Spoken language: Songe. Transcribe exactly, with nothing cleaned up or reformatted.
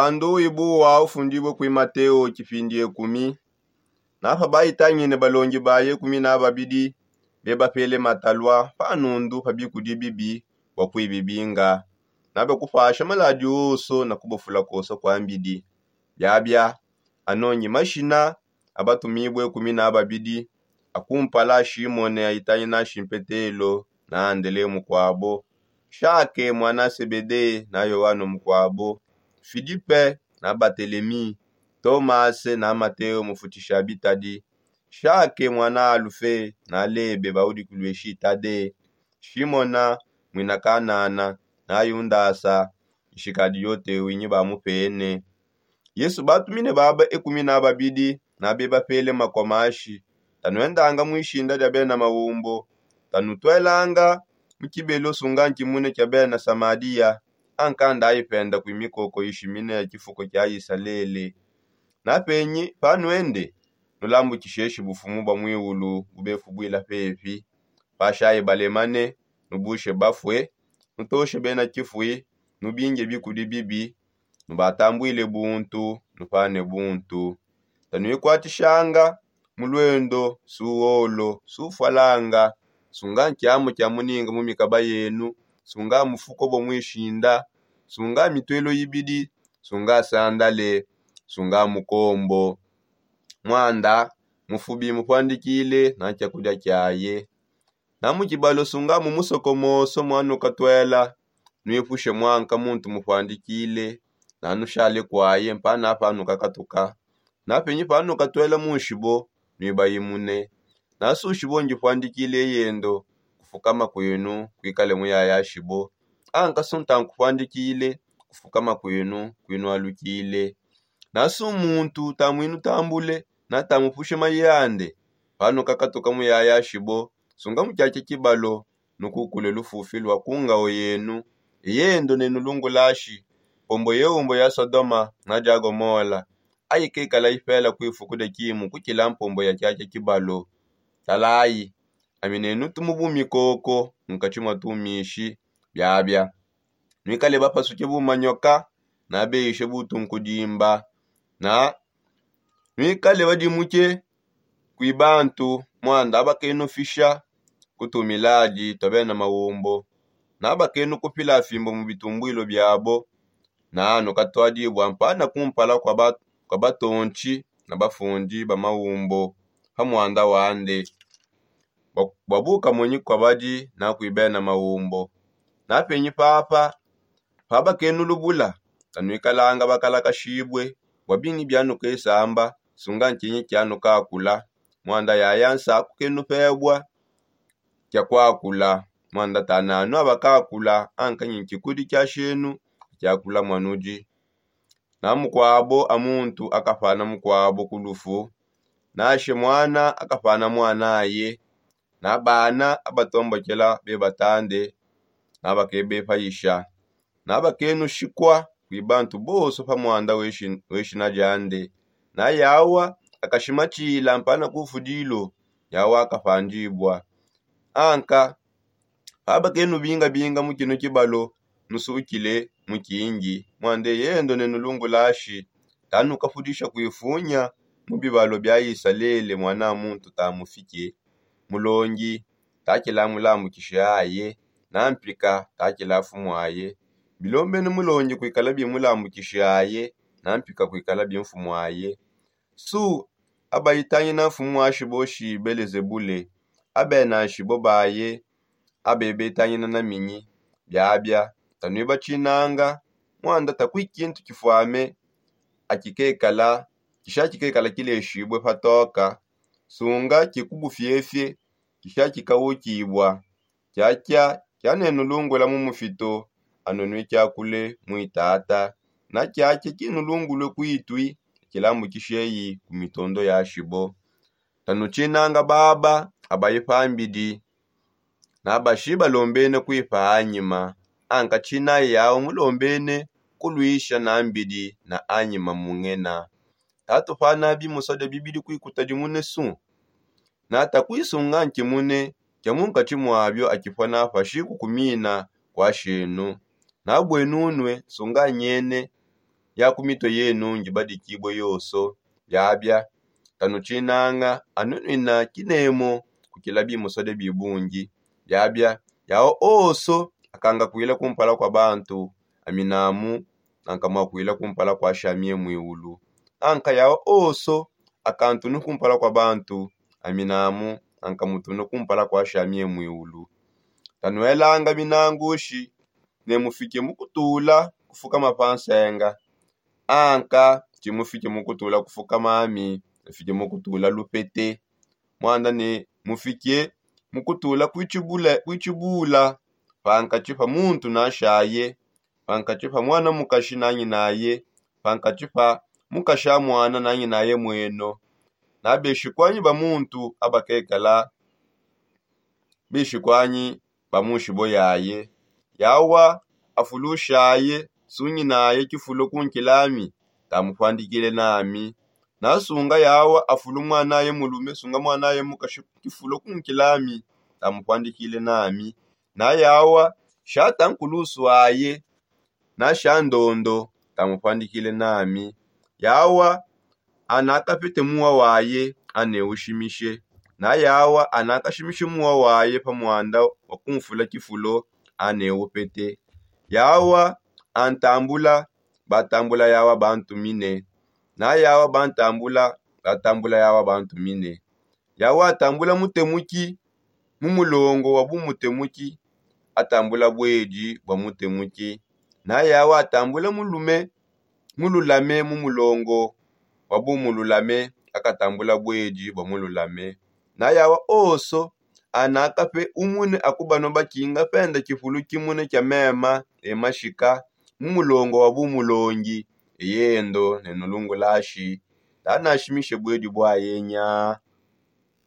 Muandu wibuwa ufundibue kui mateo tshipindi ekumi. Napa baitangine balongi baye kumi na babidi bebapele matalua panundu pa bikudi bibi bua kuibibinga. Nabakupasha maladi oso na kubafula koso kua mbidi. Biabia anongi mashina abatumibue kumi na babidi akumpala shimone aitangina shimpetelo na andele mukuabo, shake muana sebede na yoano mukuabo, filipe na batelemi, tomase na mateo mufutisha bitadi, shake muana alufe na lebe baudikulue shitade, shimona muina kanana na yundasa nshikadi yote winyi bamupene. Yesu batumine baba ekumi na babidi na bebapele makua mashi, tanuendanga muishinda dia bena maumbo, tanutuelanga mu tshibelo sunga ntshimune tshia bena samadia. Ankandayi penda kui mikoko ishimine ya tshifuko tshia isalele. Napenyi panuende, nulambukisheshi bufumu bua muiulu bubefubuila pepi. Pashayi balemane, nubushe bafue, nutoshe bena tshifui, nubinge bikudi bibi, nubatambuile buntu, nupane buntu. Tanuikuatishanga mu luendo, suolo sufualanga, sunga nkiamu kia muninga mu mikaba yenu, sunga mufuko bua muishinda, sunga mituelo ibidi, sunga sandale, sunga mukombo. Muanda mufubi mupuandikile na tshiakudia kiaye. Na mu tshibalo sunga mu musoko moso muanukatuela, nuipushe muanka muntu mupuandikile, nanushale kuaye mpana panukakatuka. Napenyi panukatuela munshibo, nuibayimune. Nasu shibo ndipuandikile yendo, kufukama kuenu kuikale muyayashibo. Anka sunta nkupuandikile, kufukama kuenu kuinualukile. Nasu muntu tamuinutambule, natamupushe mayi ande, panukakatuka muyayashibo, sunga mu tshiatshia tshibalo, nukukule lufufi lua ku ngao yenu. Eyendo nenulungulashi mpombo yeumbo ya sodoma na dia gomola, aikekala ipela kuifuku dia kimu kutshila mpombo ya tshiatshia tshibalo. Talayi, ami nenutumu bumikoko munkatshi mua tumishi. Biabia nuikale bapasuke bumanyoka, nabeyishe butunkudimba, na nuikale badimuke kui bantu, muanda abakenufisha ku tumiladi tua bena maumbo, nabakenukupila fimbo mu bitumbuilo biabo. Na nukatuadibua mpana kumpala kua batontshi na bafundi ba maumbo pa muanda wande, bua bukamonyi kua badi na kui bena maumbo. Napenyi papa, pabakenulubula, tanuikalanga bakalakashibue bua bingi bianukesamba, sunga ntshinyi tshianukakula. Muanda yaya nsaku kenupebua kia kuakula, muanda tananu abakakula, anka nyi ntshikudi tshiashenu tshiakula muanudi. Na mukuabo a muntu akapana mukuabo ku lufu, nanshe muana akapana muanaye, na bana abatombokela bebatande, nabakebepayisha, nabakenushikua kui bantu bonso pa muanda we shina diande. Na yawa akashimatshila mpana ku fudilo, yawa akapandibua. Anka pabakenubingabinga mu kinu kibalo, nusukile mu kindi, muande yendo nenulungulashi, tanukafudisha kuifunya mu bibalo bia isalele muana muntu tamufike. Mulongi, takila mulambukishe aye, na mpika, takila mfumu aye. Bilombene mulongi kuikala bimulambukishi aye, na mpika kuikala bimfumu aye. Su abaitangina mfumu wa shibo shi belezebule, abena nshibo baye abebetangina na minyi. Biabia tanuibatshinanga, muanda takui kintu kifuame akikekala kisha kikekala kileshibue patoka, sunga kikubufiefie kisha kikawukibua. Tshiatshia tshianenulungula mu mufito, anu nuikiakule muitata. Na tshiatshia tshinulungulue kuitui, tshilambukisheyi ku mitondo ya shibo. Tanutshinanga baba abaye pambidi, nabashi balombene kuipa anyima. Anka tshinayi yawu mulombene kuluisha na mbidi na anyima mungena. Tatupana bimusodia bibidi kuikuta dimune su. Nata kuisunga nkimune kia munkatshi muabio akipua napashi kukumina kuashenu. Nabuenunue sunga nyene ya ku mitue yenu ngibadikibue yonso. Biabia, tanutshinanga anunuina kinemo kukila bimusode bibungi. Biabia, yawa onso akanga kuila kumpala kua bantu, aminamu anka mua kuila kumpala kua shami ye muiulu. Anka yawa onso akantunu kumpala kua bantu, aminamu anka mutunu kumpala kua shami ye muiulu. Tanuelanga minangushi ne mufike mukutula kufukama pa nsenga, anka tshimufike mukutula kufukama ami, mufike mukutula lupete. Muanda ne mufike mukutula kuitshibula pankatshi pa muntu na shaye, pankatshi pa muana mukashi na nyinaye, pankatshi pa mukashi a muana na nyinaye mueno. Na beshikwanyi ba muntu abakekala beshikwanyi ba munshibo yaye. Yawa afulushaye sunyinaye kifulo kunkilami, tamupuandikile nami. Nasunga yawa afulu mwanaye mulume sunga mwanaye mukashi kifulo kunkilami, tamupuandikile nami. Na yawa shata nkulusu aye na sha ndondo, tamupuandikile nami. Yawa anakapete muwa waye ane ushimishe. Na yawa anakashimishe muwa waye pa muanda wa kumfula kifulo ane upete. Yawa antambula batambula yawa bantumine. Na yawa bantambula batambula yawa bantumine. Yawa atambula mutemuki mu mulongo wa bumutemuki, atambula buedi bua mutemuki. Na yawa atambula mulume mululame mu mulongo wa bumululame, akatambula buedi bua mululame. Na yawa onso anakape umune akubanua bakinga penda kifulu kimune kia mema e mashika mu mulongo wa bumulongi, eyendo ne nulungulashi tanashimishe buedi buaye nya.